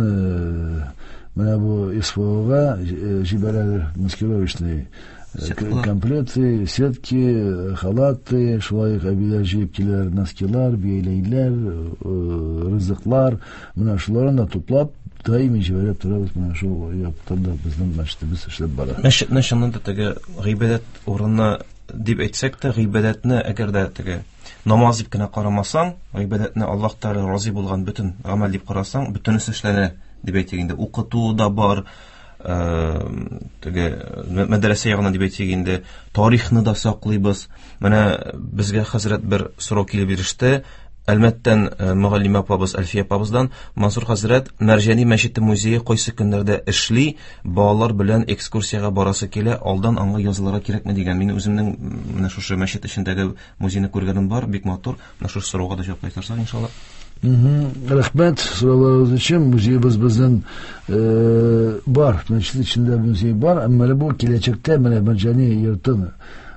менә бу СВОга җибәрәләр маскировочный комплекты, сетки, халаты, шулай ук әбиләр җыеп киләләр, носкилар, бияләйләр, ризыклар, менә шуларны да туплап даими җибәреп торабыз. Менә шул яктан да безнең мәчетебез эшләп бара. Мәчетне чыннан да теге гыйбадәт урыны дип әйтсәк тә, гыйбадәтне әгәр дә теге намаз дип кенә карамасаң, гыйбадәтне Аллаһ Тәгалә разый булган бөтен гамәл дип карасаң, бөтенесе эшләнә дип әйтик инде. Укыту да бар, теге мәдрәсә ягына дип әйтик инде, тарихны да саклыйбыз. Менә безгә хәзрәт бер сорау килеп иреште. Әлмәттән мөгаллимә апабыз Әлфия апабыздан: Мансур хәзрәт, Мәрҗани мәчете музее кайсы көннәрдә эшли? Балалар белән экскурсиягә барасы килә, алдан аңа язылырга кирәкме дигән. Мин үземнең менә шушы мәчет эчендәге музейны күргәнем бар, бик матур. Менә шушы сорауга да җавап кайтарсак, иншалла. Рәхмәт сорауларыгыз өчен. Музейыбыз безнең бар, мәчет эчендә музей бар, әмма бу киләчәктә менә Мәрҗани йортын,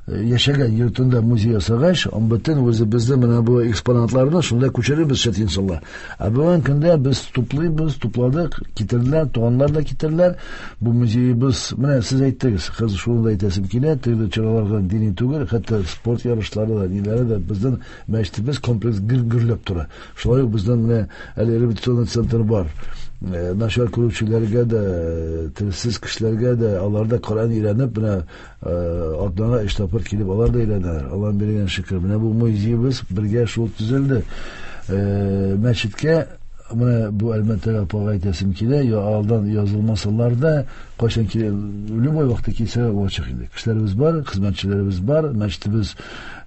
яшәгән йортында музей ясагач, бөтен үзебезнең менә бу экспонатларны шунда күчерербез шәт иншалла. Ә бүгенге көндә без туплыйбыз, тупладык, китерделәр, туганнар да китерделәр. Бу музейыбыз, менә сез әйттегез, хәзер шуны да әйтәсем килә, төрле чараларга дини түгел, хәтта спорт ярышлары да, ниләре дә безнең мәчетебез комплекс гөр-гөрләп тора. Шулай ук безнең менә әле реабилитационный центр бар. Начар күрүчеләргә дә, телсез кешеләргә дә, алар да Коръән өйрәнеп, менә атнага өч тапкыр килеп, алар да өйрәнәләр. Аллаһ биргән шөкер. Менә бу музеебыз бергә шул төзелде. Мәчеткә менә бу әлбәттә апага әйтәсем килә, я алдан язылмасалар да, кайчан килә, любой вакытта килсә ачык инде. Кешеләребез бар, хезмәтчеләребез бар, мәчетебез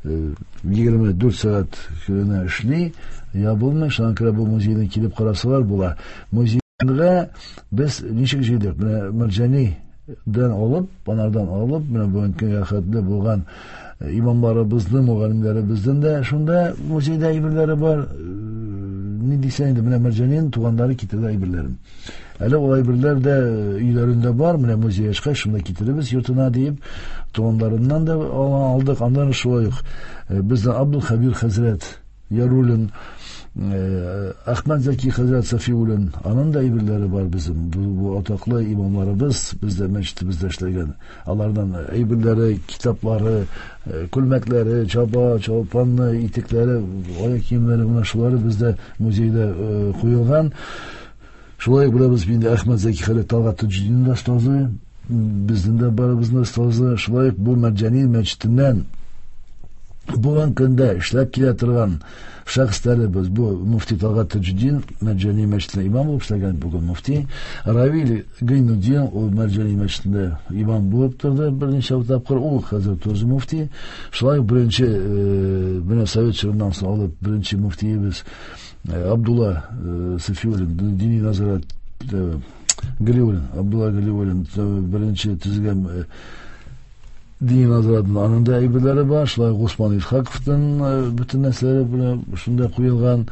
егерме дүрт сәгать көненә эшли, ябылмый. Шуңа күрә бу музейны килеп карасалар була. Музейга без ничек җыйдык? Менә Мәрҗанидән алып, анардан алып, менә бүгенге көнгә хәтле булган имамларыбызның, мөгаллимнәребезнең дә шунда музейда әйберләре бар. Ни дисәң инде, менә Мәрҗанинең туганнары китерде әйберләрен. Әле ул әйберләр дә өйләрендә бар, менә музей ачкач шунда китеребез йортына диеп, туганнарыннан да алдык. Аннан шулай ук бездән Абдулхабир хәзрәт Яруллин, Әхмәт Зәки хәзрәт Сафиуллин, аның да әйберләре бар безнең. Бу, бу атаклы имамларыбыз бездә мәчетебездә эшләгән. Алардан әйберләре, китаплары, күлмәкләре, чаба, чалпаны, итекләре, аяк киемнәре, менә шулары бездә музейда куелган. Шулай ук беләбез инде Әхмәт Зәки хәзрәт Талгат Таҗетдинның да остазы, безнең дә барыбызның остазы. Шулай ук бу Мәрҗани мәчетеннән бүгенге көндә эшләп килә торган шәхесләребез, бу мөфти Талгат Таҗетдин Мәрҗани мәчетендә имам булып эшләгән, бүген мөфти Равил Гайнутдин, ул Мәрҗани мәчетендә имам булып торды берничә тапкыр, ул хәзер тоже мөфти. Шулай ук беренче, менә совет чорыннан соң алып беренче мөфтиебез Абдулла Сафиуллин, дини назарат Галиуллин, Абдулла Галиуллин беренче төзегән дини назаратның аның да әйберләре бар. Шулай ук Усман Исхаковтың бөтен нәрсәләре белән шунда куелган.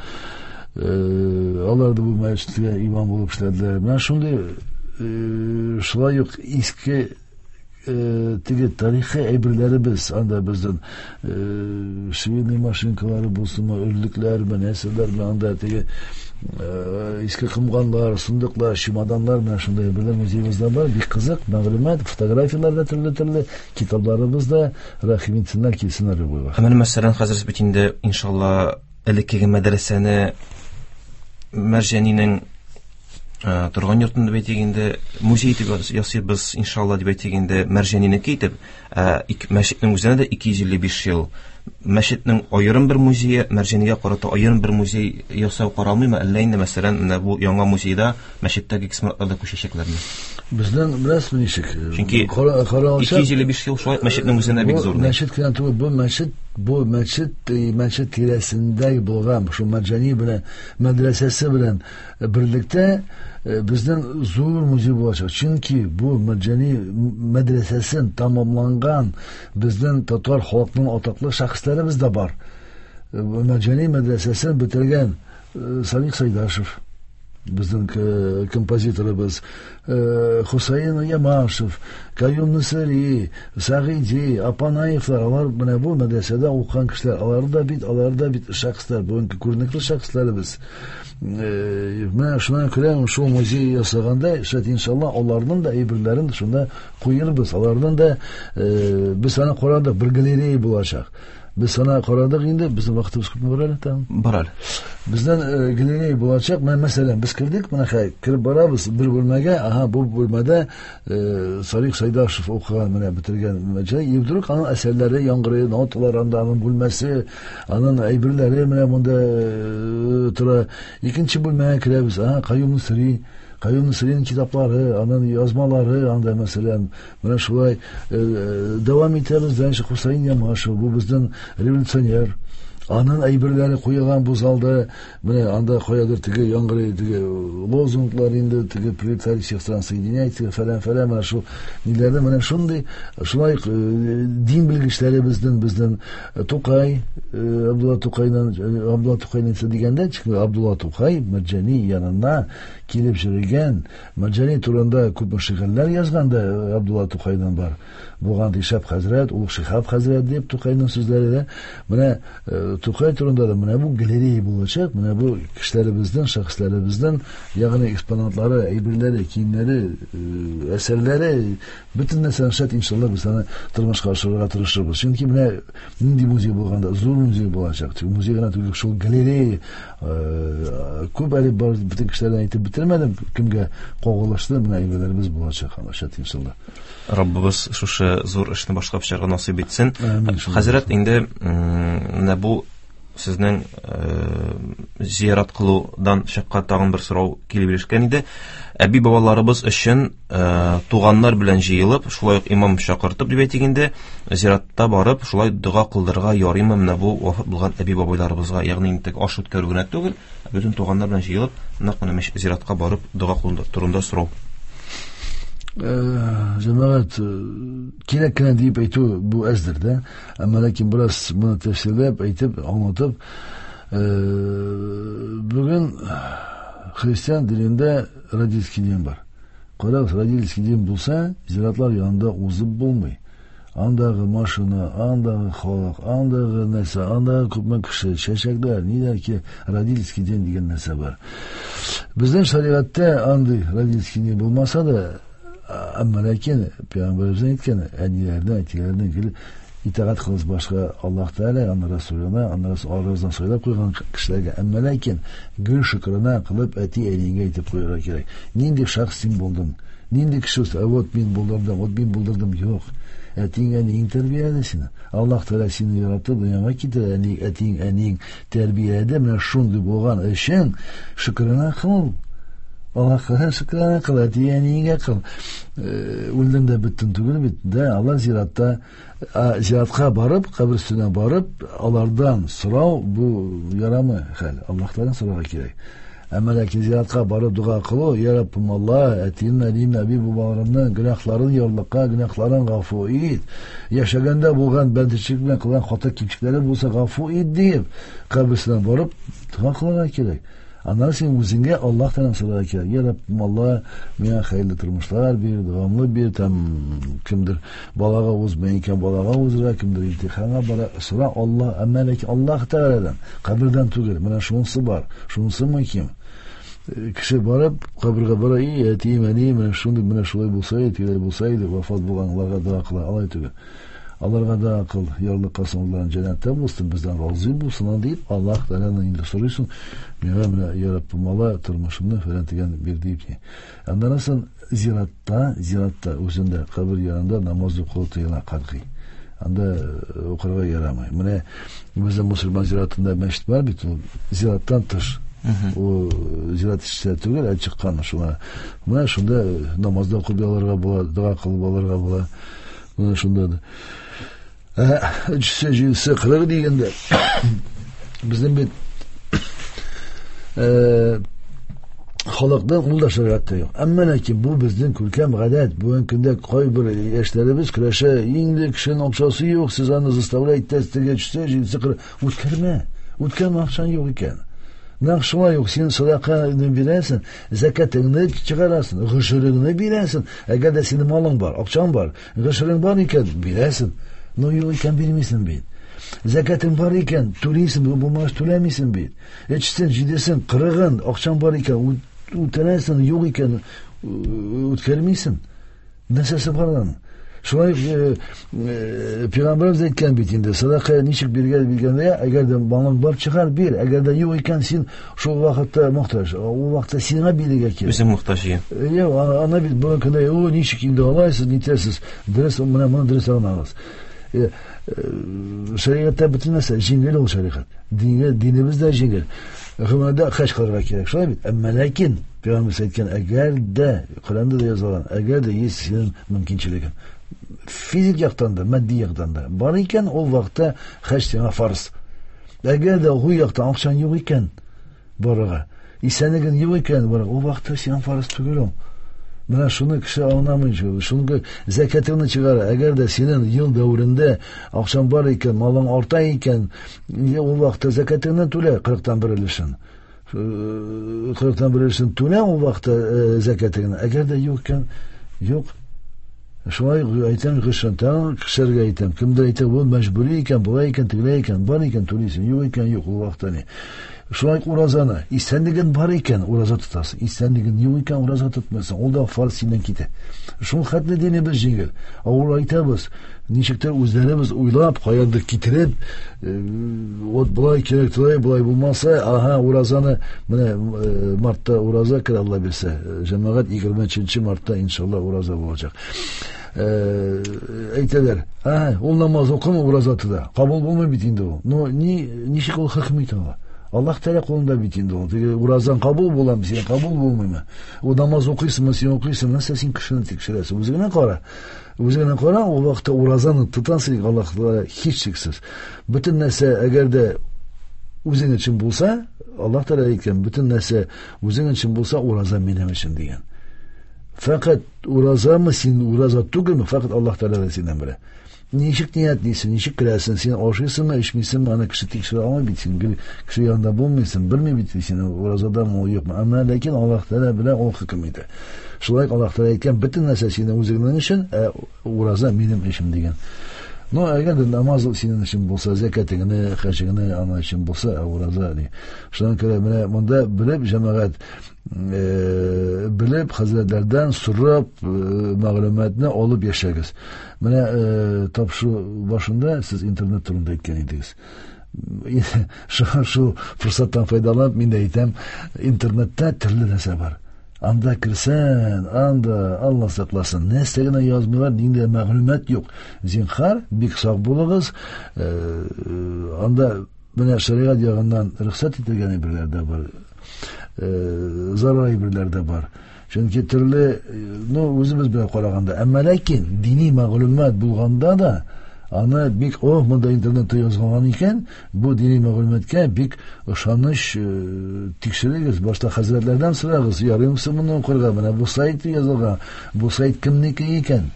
Алар да бу мәчеткә имам булып эшләделәр. Менә шундый шулай ук иске теге тарихи әйберләребез анда безнең швейный машинкалары булсынмы, өрлекләрме, нәрсәләрме, анда теге иске комганнар, сандыклар, чемоданнар, менә шундай әйберләр музеебызда бар. Бик кызык мәгълүмат, фотографияләр дә төрле-төрле, китапларыбыз да, рәхим итсеннәр, килсеннәр любой вакыт. Менә мәсәлән, хәзер бит инде иншалла элеккеге мәдрәсәне Мәрҗанинең торган йортында бит инде музей итеп ясыйбыз иншалла дип әйтик инде, Мәрҗанинеке итеп, мәчетнең үзенә дә ике йөз илле биш ел. Мәчетнең аерым бер музее, Мәрҗанигә карата аерым бер музей ясау каралмыймы, әллә инде мәсәлән менә бу яңа музейда мәчеттәге экспонатлар да күчәчәкләрме? Безнең беләсезме ничек? Чөнки ике йөз илле биш ел шулай мәчетнең үзенә бик зур. Мәчет кенә түгел, бу мәчет, бу мәчет, мәчет тирәсендә булган шул Мәрҗани белән мәдрәсәсе белән берлектә безнең зур музей булачак. Чөнки бу Мәрҗани мәдрәсәсен тамамланган безнең татар халкының атаклы шәхесләребез дә бар. Мәрҗани мәдрәсәсен бетергән Салих Сайдашев, безнең композиторыбыз, Хусаин Ямашев, Каюм Насыри, Сагиди, Апанаевлар, алар менә бу мәдрәсәдә укыган кешеләр, алар да бит, алар да бит шәхесләр, бүгенге күренекле шәхесләребез. Менә шуңа күрә шул музей ясаганда, шәт иншалла, аларның да әйберләрен шунда куербыз, аларның да без аны карадык, бер галерея булачак. Без аны карадык инде, безнең вакытыбыз күпме бар әле тагын? Бар әле. Бездән галерея булачак. Менә мәсәлән, без кердек, менә хәй, кереп барабыз бер бүлмәгә, аһа, бу бүлмәдә Салих Сайдашев укыган, менә бетергән мәҗлес, и вдруг аның әсәрләре яңгырый, ноталар анда, аның бүлмәсе, аның әйберләре менә монда тора. Икенче бүлмәгә керәбез, аһа, Каюм Насыри, Каюм Насыриның китаплары, аның язмалары анда мәсәлән, менә шулай дәвам итәбез. Дальше Хусаин Ямашев, бу безнең революционер, аның әйберләре куелган бу залда, менә анда каядыр теге яңгырый, теге лозунглар инде, теге пролетарий всех стран соединяйте, фәлән фәлән, менә шул ниләрдә, менә шундый шулай дин белгечләре безнең, безнең Тукай, Абдулла Тукайның, Абдулла Тукайның дигәндә, чөнки Абдулла Тукай Мәрҗани янына килеп йөргән, Мәрҗани турында күп шигырьләр язган да Абдулла Тукайдан бар. Булган Шихаб хәзрәт, Улуг Шихаб хәзрәт дип Тукайның сүзләре дә. Менә Тукай турында да менә бу галерея булачак, менә бу кешеләребезнең, шәхесләребезнең, ягъни экспонатлары, әйберләре, киемнәре, әсәрләре, бөтен нәрсәне шәт иншалла без аны тормышка ашырырга тырышырбыз. Чөнки менә нинди музей булганда, зур музей булачак. Чөнки музей гына түгел, шул галерея күп әле бар, бөтен кешеләрдән әйтеп бетермәдем, кемгә кагылышлы менә әйберләребез булачак, шәт иншалла. Раббыбыз шушы зур эшне башкарып чыгарга насыйп итсен. Хәзрәт, инде менә бу сезнең зиярат кылудан чыккан тагын бер сорау килеп ирешкән иде. Әби бабаларыбыз өчен туганнар белән җыелып, шулай ук имам чакыртып дип әйтик инде, зиратта барып, шулай дога кылдырырга ярыймы менә бу вафат булган әби бабайларыбызга, ягъни инде аш үткәрү генә түгел, бөтен туганнар белән җыелып, нәкъ менә зиратка барып дога кылу турында сорау. Җәмәгать, кирәк кенә дип әйтү бу әздер дә, әмма ләкин бераз моны тәфсирләп әйтеп, аңлатып, бүген христиан динендә родительский дин бар. Карагыз, родительский дин булса, зиратлар янында узып булмый. Андагы машина, андагы халык, андагы нәрсә, андагы күпме кеше, чәчәкләр, ниләр ки, родительский дин дигән нәрсә бар. Безнең шәригатьтә андый родительский дин булмаса да, әмма ләкин Пәйгамбәребез әйткән, әниләрдән, әтиләрдән килеп итагать кылыгыз башка Аллаһ Тәгалә, аның Расулына, аның арасынан сайлап куйган кешеләргә. Әмма ләкин гел шөкрана кылып әти-әниеңә әйтеп куярга кирәк. Нинди шәхес син булдың? Нинди кеше? Вот мин булдырдым, вот мин булдырдым. Юк. Әтиң, әниең тәрбияләде сине. Аллаһ Тәгалә сине яратты, дөньяга китерде. Әни, әтиң, әниең тәрбияләде. Менә шундый булган өчен шөкрана кыл. Аллаһка шөкрана кыл, әти-әниеңә кыл. Үлдем дә беттем түгел бит. Да, алар зиратта, зиратка барып, кабер өстенә барып, алардан сорау бу ярамый хәл. Аллаһтан сорарга кирәк. Әмма ләкин зиратка барып дога кылу, я Раббым Аллаһ, әтием, әнием, әби бабаларымның гөнаһларын ярлыка, гөнаһларын гафу ит. Яшәгәндә булган бәндәчелек белән кылган хата кимчелекләре булса гафу ит дип, кабер өстенә барып дога кылырга кирәк. Аннан син үзеңгә Аллаһтан сорарга кирәк. Я Раббым Аллаһ, миңа хәерле тормышлар бир, дәвамлы бир, там кемдер балага узмый икән, балага узырга, кемдер имтиханга бара, сора Аллаһ, әмма ләкин Аллаһ Тәгаләдән, кабердән түгел. Менә шунысы бар, шунысы мөһим. Кеше барып, кабергә бара, и әтием, әнием, менә шундый, менә шулай булса иде, тегеләй булса иде, вафат булганларга дога кыла, алай түгел. Аларга да кыл, ярлыкасын, аларның җәннәттә булсын, бездән разый булсын дип, Аллаһ Тәгаләдән инде сорыйсың, миңа менә я Раббым Аллаһ тормышымны фәлән дигән бир дип. Аннан соң зиратта, зиратта үзендә кабер янында намаз уку тыела катгый. Анда укырга ярамый. Менә безнең мусульман зиратында мәчет бар бит, ул зираттан тыш. Ул зират эчендә түгел, ә чыккан шуңа. Менә шунда намазда укып алырга була, дога кылып алырга була. Менә шунда да. Өчесе, җидесе, кырыгы дигәндә безнең бит халыкның ул да шәригатьтә юк. Әмма ләкин бу безнең күркәм гадәт. Бүгенге көндә кайбер яшьләребез көрәшә, инде кешенең акчасы юк, сез аны заставлять итәсез, теге өчесе, җидесе, кырыгы. Үткәрмә, үткәрмә, акчаң юк икән. Нәкъ шулай юк, син сәдаканы бирәсең, зәкәтеңне чыгарасың, гошереңне бирәсең. Әгәр дә синең малың бар, акчаң бар, гошерең бар икән, бирәсең. Но юк икән, бирмисең бит. Зәкәтең бар икән, түлисең, булмагач түләмисең бит. Өчесен, җидесен, кырыгын, акчаң бар икән, үтәләсең, юк икән, үткәрмисең. Нәрсәсе бар аның? Шулай Пәйгамбәребез әйткән бит инде, сәдака ничек биргән биргәндә, әгәр дә малың бар, чыгар, бир. Әгәр дә юк икән, син шул вакытта мохтаҗ. Ул вакытта сиңа бирергә кирәк. Үзең мохтаҗ икән. Юк, ана бит бүгенге көндә, о, ничек инде алайсыз, нитәсез. Дөрес, менә моны дөрес аңлагыз. Шәригатьтә бөтен нәрсә җиңел ул шәригать. Дине, динебез дә җиңел. Гомумән хаҗ кылырга кирәк, шулай бит. Әмма ләкин Пәйгамбәребез әйткән, әгәр дә Коръәндә дә язылган, әгәр дә есть синең мөмкинчелегең, физик яктан да, матди яктан да бар икән, ул вакытта хаҗ сиңа фарз. Әгәр дә ул яктан акчаң юк икән барырга, исәнлегең юк икән барырга, ул вакытта сиңа фарз түгел ул. Менә шуны кеше аңламый, шуны зәкәтеңне чыгара. Әгәр дә синең ел дәверендә акчаң бар икән, малың арта икән, ул вакытта зәкәтеңне түлә, кырыктан бер өлешен. Кырыктан бер өлешен түлә ул вакытта зәкәтеңне. Әгәр дә юк икән, юк. Шулай әйтәм, кешеләргә кешеләргә әйтәм. Кемдер әйтә, бу мәҗбүри икән, болай икән, тегеләй икән, бар икән түлисең, юк икән, юк, ул вакытта ни. Шулай уразаны, исәнлеген бар икән, ураза тотасың, исәнлеген юк икән, ураза тотмайсың, ул да фарз синнән китә. Шул хәтле динебез җиңел. Авыр әйтәбез, ничектер үзләребез уйлап, каяндыр китереп, вот болай кирәк, болай, болай булмаса, ага, уразаны, менә мартта ураза керә, Алла бирсә, җәмәгать егерме өченче мартта иншалла ураза булачак. Әйтәләр, ага, ул намаз укымый, ураза тота. Кабул булмый бит инде ул. Но ни, ничек ул хөкем итә ала? Аллаһ Тәгалә кулында бит инде ул. Теге уразаң кабул буламы, син кабул булмыймы? Ул намаз укыйсыңмы, син укыйсыңмы? Нәрсә син кешене тикшерәсең? Үзеңә кара. Үзеңә кара, ул вакытта уразаны тотасың, Аллаһ Тәгалә һичшиксез. Бөтен нәрсә әгәр дә үзең өчен булса, Аллаһ Тәгалә әйткән, бөтен нәрсә үзең өчен булса, ураза минем өчен дигән. Фәкать уразамы син, ураза түгелме? Фәкать Аллаһ Тәгалә синнән белә. Ничек ниятлисең, ничек керәсең, син ашыйсыңмы, эчмисеңме, аны кеше тикшерә алмый бит, син кеше янында булмыйсың, белми бит син уразадамы ул юкмы. Әмма ләкин Аллаһ Тәгалә белә, ул хөкем итә. Шулай Аллаһ Тәгалә әйткән, бөтен нәрсә синең үзеңнең өчен, ә ураза минем өчен дигән. Но әгәр дә намаз синең өчен булса, зәкәтеңне, хаҗыңны ана өчен булса, ә ураза ни. Шуңа күрә менә монда белеп җәмәгать, белеп хәзрәтләрдән сорап мәгълүматны алып яшәгез. Менә тапшыру башында сез интернет турында әйткән идегез. Шул форсаттан файдаланып мин дә әйтәм, интернетта төрле нәрсә бар. Анда керсән, анда Алла сакласын, нәрсә генә язмыйлар, нинди мәгълүмат юк. Зинһар, бик сак булыгыз. Анда менә шәригать ягыннан рөхсәт ителгән әйберләр дә бар, зарар әйберләр дә бар. Чөнки төрле, ну, үзебез белән караганда, әмма ләкин дини мәгълүмат булганда да аны бик, о, монда интернетта язылган икән, бу дини мәгълүматка бик ышаныч тикшерегез, башта хәзрәтләрдән сорагыз, ярыймы моны укырга, менә бу сайт язылган, бу сайт кемнеке икән?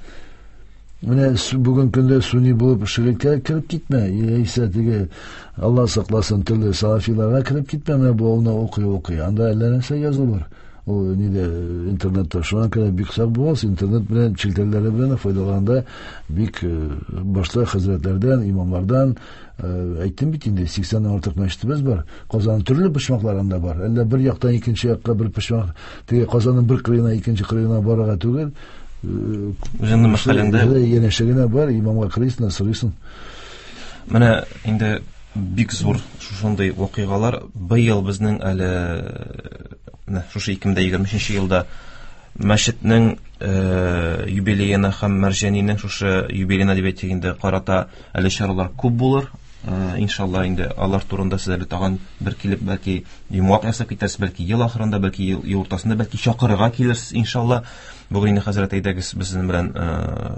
Менә бүген көндә сунни булып ширккә кереп китмә, яисә теге Алла сакласын төрле салафиларга кереп китмә, менә бу аны укый укый, анда әллә нәрсә язылыр. Ул нидә интернетта, шуңа күрә бик сак булыгыз, интернет белән челтәрләре белән файдаланганда бик башта хәзрәтләрдән, имамлардан, әйттем бит инде, сиксәннән артык мәчетебез бар. Казанның төрле почмакларында бар. Әллә бер яктан икенче якка бер почмак, теге Казанның бер кырыена икенче кырыена барырга түгел. Үзеңнең мәхәлләңдә янәшә генә бар, имамга карыйсың, сорыйсың. Менә инде бик зур шушындый вакыйгалар быел безнең әле менә шушы ике мең егерме өченче елда мәчетнең юбилеена һәм Мәрҗанинең шушы юбилеена дип әйтик инде карата әле чаралар күп булыр. Иншалла инде алар турында сез әле тагын бер килеп бәлки йомгак ясап китәрсез, бәлки ел ахырында, бәлки ел уртасында, бәлки чакырырга килерсез иншалла. Бүген инде хәзрәт әйдәгез безнең белән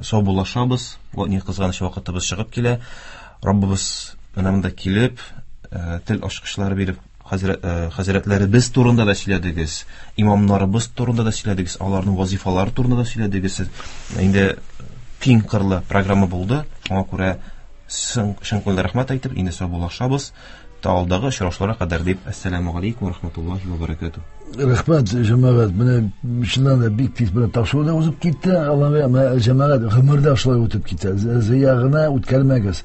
саубуллашабыз. Ни кызганыч вакытыбыз чыгып килә. Раббыбыз менә монда килеп, тел ачкычлары биреп, хәзрәтләребез турында да сөйләдегез, имамнарыбыз турында да сөйләдегез, аларның вазифалары турында да сөйләдегез. Инде киң кырлы программа булды. Шуңа күрә чын күңелдән рәхмәт әйтеп, инде саубуллашабыз. Та алдагы очрашуларга кадәр дип, әссәламү галәйкүм ва рахматуллаһи ва баракатуһ. Рәхмәт, җәмәгать, менә чыннан да бик тиз белән тапшыру да узып китте. Аллаһ җәмәгать гомердә шулай үтеп китә. Зыя гына үткәрмәгез.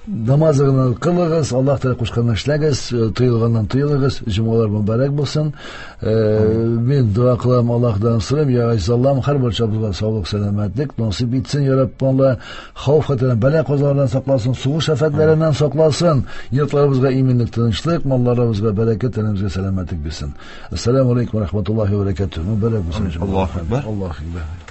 Намазыгызны кылыгыз, Аллаһ Тәгалә кушканны эшләгез, тыелганнан тыелыгыз, җомгалар мөбарәк булсын. Мин дога кылам, Аллаһдан сорыйм, я Газиз Аллаһым, һәрбер чабызга саулык, сәламәтлек насыйп итсен, я Раббым, Аллаһ, хәвеф-хәтәрдән, бәла-казалардан сакласын, сугыш афәтләреннән сакласын, йортларыбызга иминлек, тынычлык, малларыбызга бәрәкәт, тәнебезгә сәламәтлек бирсен. Ассаламу алейкум ва рахматуллаһи ва баракатуһ. Мөбарәк булсын. Аллаһу акбар. Аллаһу акбар.